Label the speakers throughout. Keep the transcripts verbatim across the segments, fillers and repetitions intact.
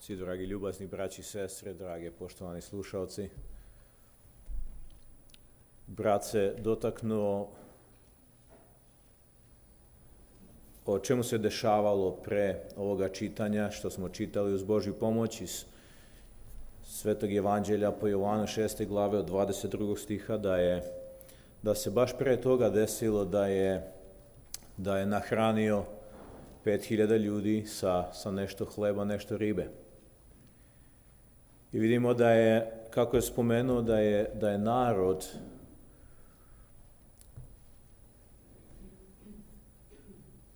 Speaker 1: Svi dragi ljubazni braći i sestre, drage poštovani slušalci. Brat se dotaknuo o čemu se dešavalo pre ovoga čitanja, što smo čitali uz Božju pomoć iz Svetog Evanđelja po Jovanu šeste glave od dvadeset drugog stiha, da je da se baš pre toga desilo da je da je nahranio pet hiljada ljudi sa, sa nešto hleba, nešto ribe. I vidimo da je, kako je spomenuo, da je, da je narod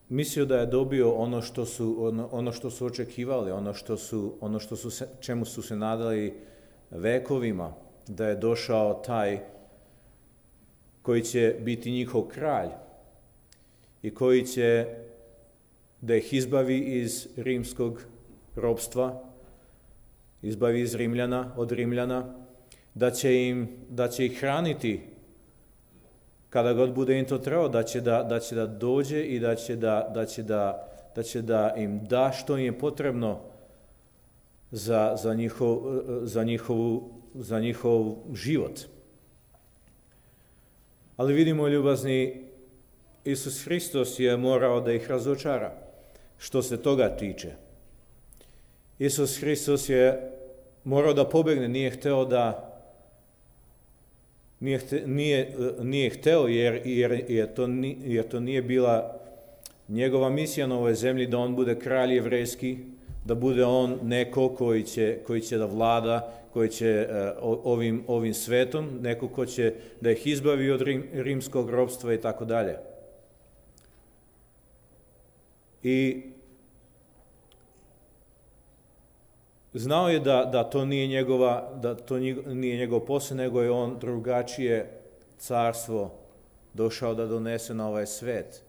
Speaker 1: mislio da je dobio ono što su, ono, ono što su očekivali, ono što su, ono što su se, čemu su se nadali vekovima, da je došao taj koji će biti njihov kralj i koji će da ih izbavi iz rimskog ropstva, izbavi iz Rimljana, od Rimljana, da će im, da će ih hraniti kada god bude im to trebao, da će da, da će da dođe i da će da, da će da, da će da im da što im je potrebno za, za, njihov, za, njihovu, za njihov život. Ali vidimo, ljubazni, Isus Hristos je morao da ih razočara što se toga tiče. Isus Hristos je morao da pobegne, nije hteo da nije, hte, nije, nije hteo jer, jer, jer, to, jer to nije bila njegova misija na ovoj zemlji, da on bude kralj jevrejski, da bude on neko koji će, koji će da vlada, koji će uh, ovim, ovim svetom, neko ko će da ih izbavi od rim, rimskog ropstva i tako dalje. I znao je da, da to nije njegova, da to nije njegov posao, nego je on drugačije carstvo došao da donese na ovaj svet.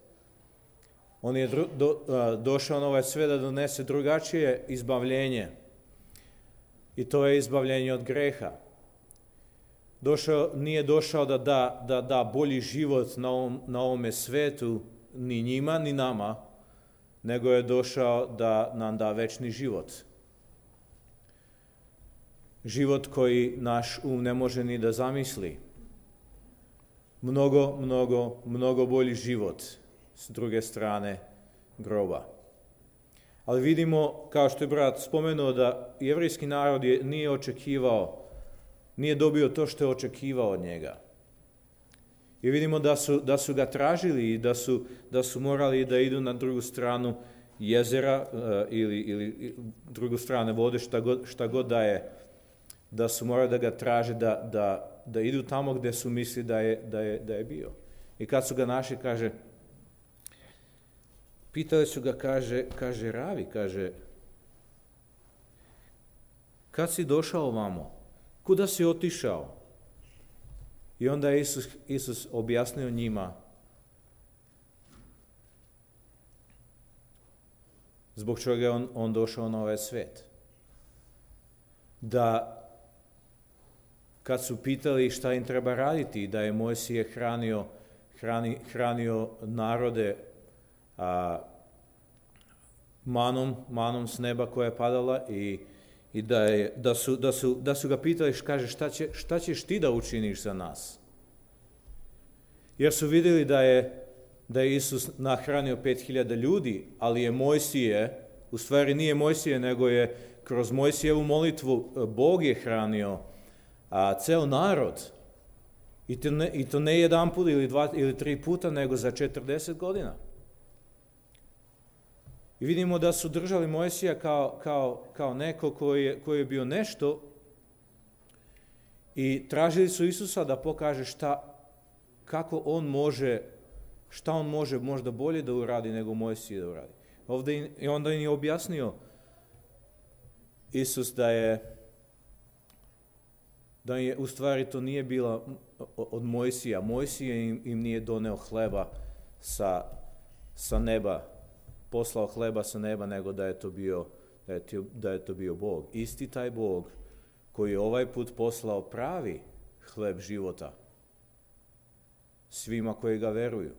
Speaker 1: On je dru, do, a, došao na ovaj svet da donese drugačije izbavljenje. I to je izbavljenje od greha. Došao, nije došao da da, da da bolji život na, ovom, na ovome svetu ni njima, ni nama, nego je došao da nam da večni život. Život koji naš um ne može ni da zamisli. Mnogo, mnogo, mnogo bolji život s druge strane groba. Ali vidimo, kao što je brat spomenuo, da jevrejski narod je, nije očekivao, nije dobio to što je očekivao od njega. I vidimo da su, da su ga tražili i da su, da su morali da idu na drugu stranu jezera uh, ili, ili drugu stranu vode, šta god, šta god da je, da su morali da ga traže, da, da, da idu tamo gde su misli da je, da, je, da je bio. I kad su ga našli, kaže, pitali su ga, kaže, kaže Ravi, kaže, kad si došao ovamo? Kuda si otišao? I onda je Isus, Isus objasnio njima zbog čega je on, on došao na ovaj svet. Da kad su pitali šta im treba raditi, da je Mojsije hranio, hrani, hranio narode a, manom, manom s neba koja je padala i, i da, je, da, su, da, su, da su ga pitali, kaže, šta, će, šta ćeš ti da učiniš za nas? Jer su vidjeli da je, da je Isus nahranio pet hiljada ljudi, ali je Mojsije, u stvari nije Mojsije, nego je kroz Mojsijevu molitvu Bog je hranio a ceo narod, i to ne, i to ne jedan put ili dva ili tri puta, nego za četrdeset godina. I vidimo da su držali Mojsija kao, kao, kao neko koji je, koji je bio nešto i tražili su Isusa da pokaže šta, kako on može, šta on može možda bolje da uradi nego Mojsije da uradi. Ovdje, i onda im je objasnio Isus da je da je u stvari to nije bila od Mojsija. Mojsije im, im nije doneo hleba sa, sa neba, poslao hleba sa neba, nego da je to bio, da je to, da je to bio Bog. Isti taj Bog koji je ovaj put poslao pravi hleb života svima koji ga veruju.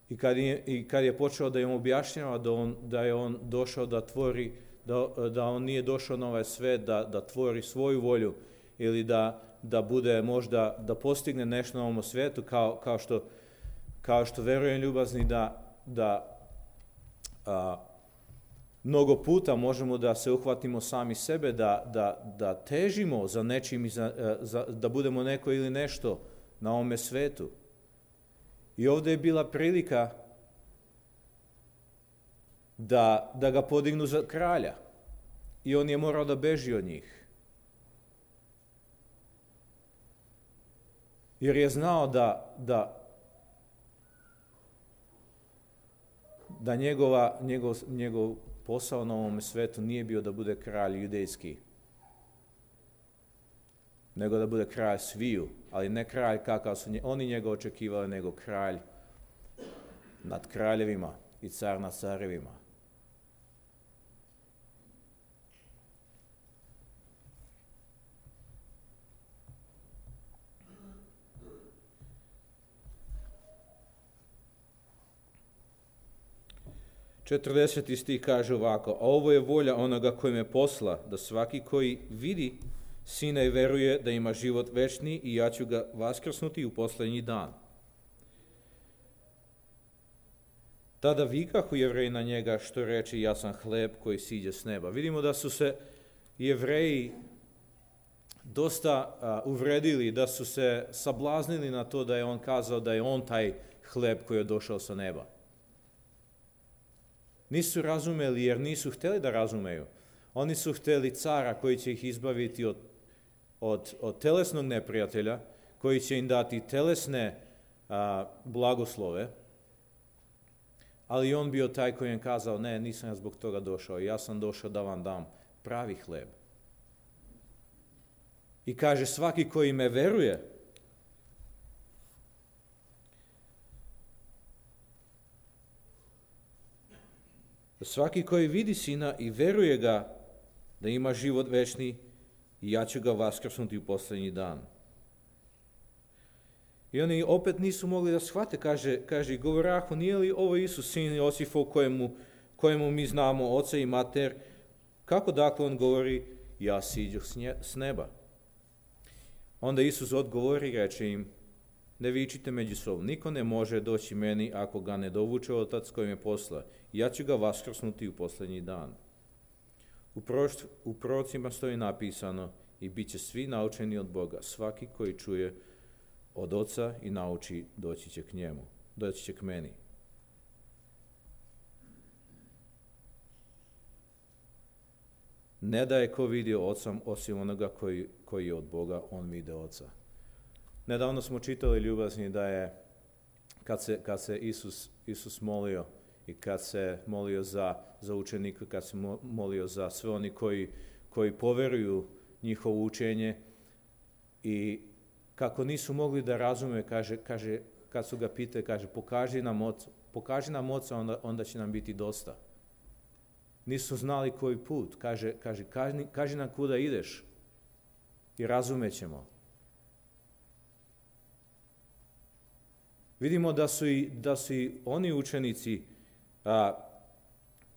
Speaker 1: I kad je, i kad je počeo da im objašnjava da, on, da je on došao da tvori, da, da on nije došao na ovaj svet da, da tvori svoju volju ili da, da bude možda, da postigne nešto na ovom svijetu, kao, kao, što, kao što verujem ljubazni da, da a, mnogo puta možemo da se uhvatimo sami sebe, da, da, da težimo za nečim, i za, za, da budemo neko ili nešto na ovome svetu. I ovdje je bila prilika da, da ga podignu za kralja. I on je morao da beži od njih. Jer je znao da, da, da njegova, njegov, njegov posao na ovom svetu nije bio da bude kralj judejski, nego da bude kralj sviju, ali ne kralj kakav su oni njega očekivali, nego kralj nad kraljevima i car nad carevima. četrdeseti stih kaže ovako: a ovo je volja onoga koji me posla, da svaki koji vidi Sina i veruje da ima život večni i ja ću ga vaskrsnuti u posljednji dan. Tada vikahu Jevreji na njega, što reče: ja sam hleb koji siđe s neba. Vidimo da su se Jevreji dosta uh, uvredili, da su se sablaznili na to da je on kazao da je on taj hleb koji je došao sa neba. Nisu razumeli jer nisu htjeli da razumeju. Oni su htjeli cara koji će ih izbaviti od, od, od telesnog neprijatelja, koji će im dati telesne a, blagoslove, ali on bio taj koji im kazao: ne, nisam ja zbog toga došao, ja sam došao da vam dam pravi hleb. I kaže: svaki koji me veruje, svaki koji vidi Sina i veruje ga da ima život večni, i ja ću ga vaskrsnuti u posljednji dan. I oni opet nisu mogli da shvate, kaže, kaže govorahu: nije li ovo Isus, sin Josifov, kojemu, kojemu mi znamo oca i mater? Kako dakle on govori: ja siđoh s neba? Onda Isus odgovori i reče im: ne vičite međusobno, niko ne može doći meni ako ga ne dovuče Otac koji me posla. Ja ću ga vaskrsnuti u posljednji dan. U, prošt, u prorocima stoji napisano: i bit će svi naučeni od Boga. Svaki koji čuje od Oca i nauči, doći će k njemu, doći će k meni. Ne da je ko vidio Oca osim onoga koji, koji je od Boga, on vide Oca. Nedavno smo čitali, ljubazni, da je kad se, kad se Isus, Isus molio i kad se molio za, za učenike, kad se molio za sve oni koji, koji poveruju njihovo učenje, i kako nisu mogli da razume, kaže, kaže, kad su ga pitali, kaže: pokaži nam Oca, pokaži nam Oca, onda, onda će nam biti dosta. Nisu znali koji put. Kaže, kaže kaži, kaži nam kuda ideš i razumećemo. Vidimo da su i, da su i oni učenici a,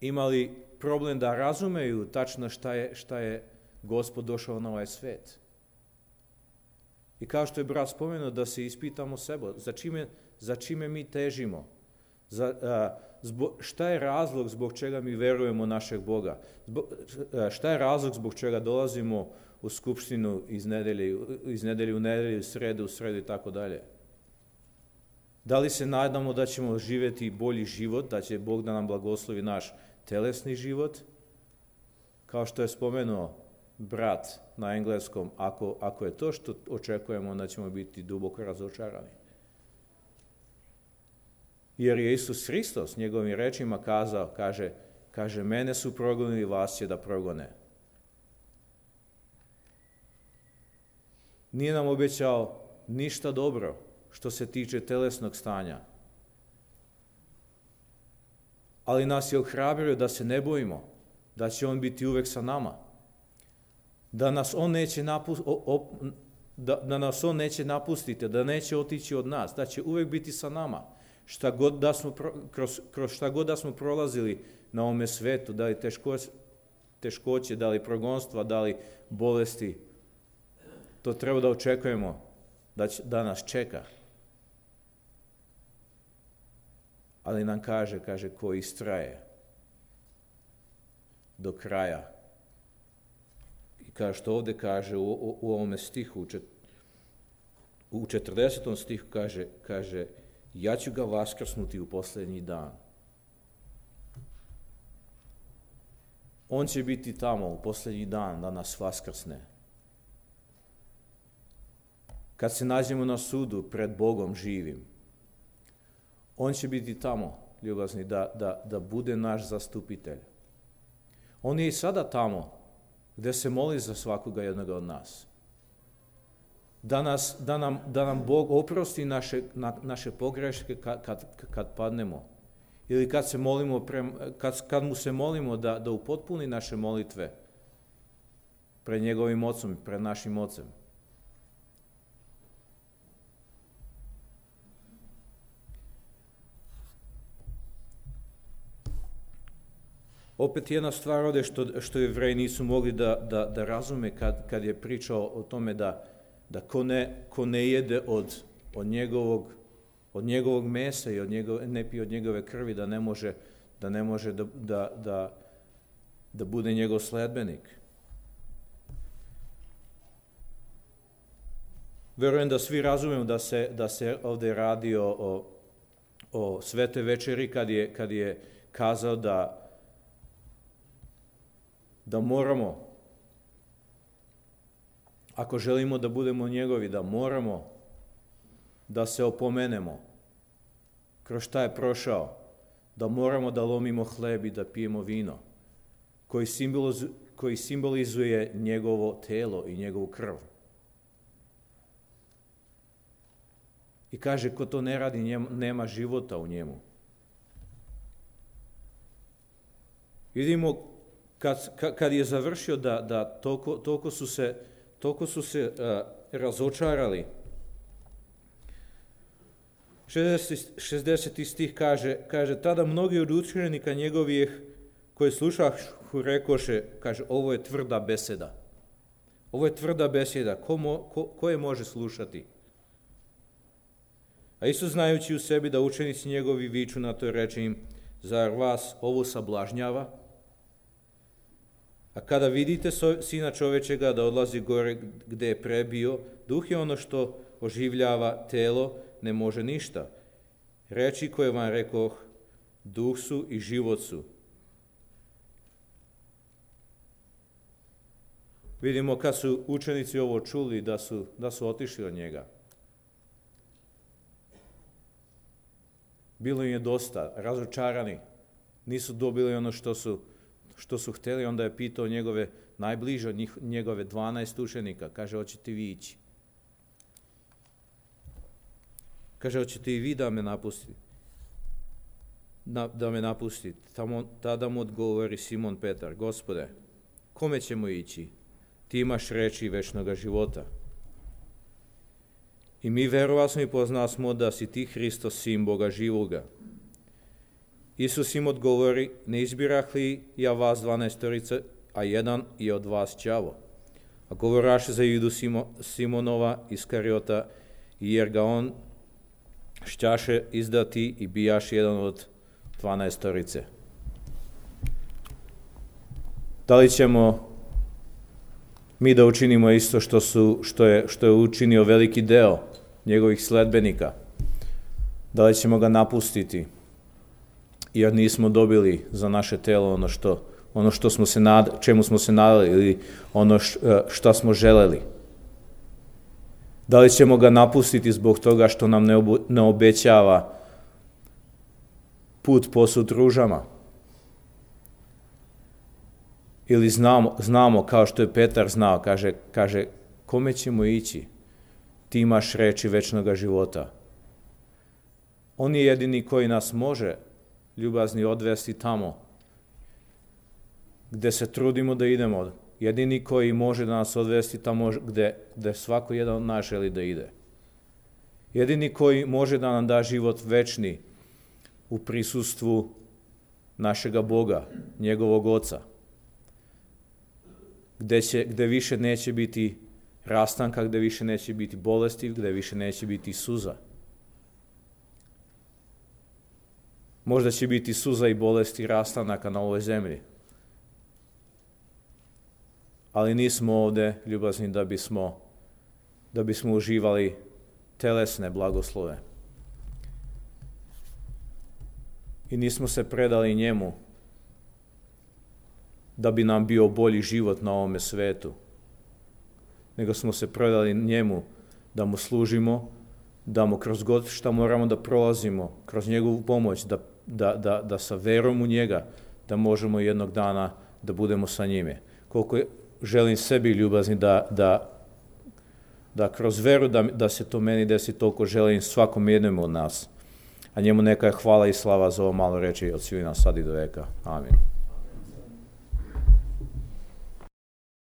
Speaker 1: imali problem da razumeju tačno šta je, šta je Gospod došao na ovaj svet. I kao što je brat spomenuo, da se ispitamo sebe, za čime, za čime mi težimo, za, a, zbog, šta je razlog zbog čega mi verujemo našeg Boga, zbog, a, šta je razlog zbog čega dolazimo u skupštinu iz nedelje, iz nedelje u nedelju, sredu u sredu i tako dalje. Da li se nadamo da ćemo živjeti bolji život, da će Bog da nam blagoslovi naš telesni život? Kao što je spomenuo brat na engleskom, ako, ako je to što očekujemo, onda ćemo biti duboko razočarani. Jer je Isus Hristos njegovim rečima kazao, kaže, kaže mene su progonili, vas će da progone. Nije nam obećao ništa dobro što se tiče telesnog stanja. Ali nas je ohrabrio da se ne bojimo, da će on biti uvek sa nama. Da nas on neće, napust, op, da, da nas on neće napustiti, da neće otići od nas, da će uvek biti sa nama. Šta god da smo, kroz, kroz šta god da smo prolazili na ovome svetu, da li teško, teškoće, da li progonstva, da li bolesti, to treba da očekujemo da, će, da nas čeka. Ali nam kaže, kaže, ko istraje do kraja. I kao što ovdje kaže u, u, u ovome stihu, u četrdesetom stihu kaže, kaže, ja ću ga vaskrsnuti u posljednji dan. On će biti tamo u posljednji dan da nas vaskrsne. Kad se nađemo na sudu pred Bogom živim, on će biti tamo, ljubazni, da, da, da bude naš zastupitelj. On je i sada tamo, gdje se moli za svakoga jednoga od nas. Da, nas, da, nam, da nam Bog oprosti naše, na, naše pogreške kad, kad, kad padnemo. Ili kad, se molimo pre, kad, kad mu se molimo da, da upotpuni naše molitve pred njegovim ocom, pred našim ocem. Opet jedna stvar ovdje što, što Jevreji nisu mogli da, da, da razume kad, kad je pričao o tome da, da ko, ne, ko ne jede od, od, njegovog, od njegovog mesa i od njegove, ne pije od njegove krvi, da ne može da, ne može da, da, da, da bude njegov sledbenik. Verujem da svi razumemo da se, da se ovdje radi o, o, o Svete večeri kad je, kad je kazao da da moramo, ako želimo da budemo njegovi, da moramo da se opomenemo kroz šta je prošao, da moramo da lomimo hleb i da pijemo vino, koji, simbolizuje, koji simbolizuje njegovo telo i njegovu krv. I kaže, ko to ne radi, njem, nema života u njemu. Vidimo, Kad, kad je završio da, da toliko, toliko su se, toliko su se uh, razočarali. šezdeseti stih kaže, kaže, tada mnogi od učenika njegovih koji slušahu rekoše, kaže, ovo je tvrda beseda. Ovo je tvrda beseda, ko, mo, ko, ko je može slušati? A Isus, znajući u sebi da učenici njegovi viču na to, reče im, zar vas ovo sablažnjava? A kada vidite Sina čovečega da odlazi gore gdje je prebio, duh je ono što oživljava, telo ne može ništa. Reči koje vam rekoh, duh su i život su. Vidimo kad su učenici ovo čuli da su, da su otišli od njega. Bilo im je dosta, razočarani, nisu dobili ono što su što su htjeli, onda je pitao njegove najbliže, njegove dvanaest učenika, kaže, hoćete vi ići? Kaže, hoćete i vi da me napustite? Na, da me napustite. Tamo, tada mu odgovori Simon Petar, Gospode, kome ćemo ići? Ti imaš reči večnoga života. I mi verovasmo i poznasmo da si ti Hristos, sin Boga živoga. Isus im odgovori, ne izbirah li ja vas dvanaestorice, a jedan je od vas đavo. A govoraše za Judu Simo, Simonova Iskariota, jer ga on šćaše izdati i bijaš jedan od dvanaestorice. Da li ćemo mi da učinimo isto što, su, što, je, što je učinio veliki deo njegovih sledbenika? Da li ćemo ga napustiti? Jer nismo dobili za naše telo ono što, ono što smo se nad, čemu smo se nadali ili ono što smo želeli. Da li ćemo ga napustiti zbog toga što nam ne, obu, ne obećava put posut ružama? Ili znamo, znamo kao što je Petar znao, kaže, kaže, kome ćemo ići? Ti imaš reči večnoga života. On je jedini koji nas može ljubazni odvesti tamo gdje se trudimo da idemo. Jedini koji može da nas odvesti tamo gdje, gdje svako jedan od nas želi da ide. Jedini koji može da nam da život večni u prisustvu našega Boga, njegovog Oca, gde, će, gde više neće biti rastanka, gde više neće biti bolesti, gde više neće biti suza. Možda će biti suza i bolesti rastanaka na ovoj zemlji. Ali nismo ovde ljubazni da bismo, da bismo uživali telesne blagoslove. I nismo se predali njemu da bi nam bio bolji život na ovome svetu, nego smo se predali njemu da mu služimo, da mu kroz god šta moramo da prolazimo, kroz njegovu pomoć, da, da, da, da sa verom u njega, da možemo jednog dana da budemo sa njime. Koliko je, želim sebi ljubazni da, da, da kroz veru da, da se to meni desi, toliko želim svakom jednom od nas. A njemu neka je hvala i slava za ovo malo reči od svina sad i do veka. Amin.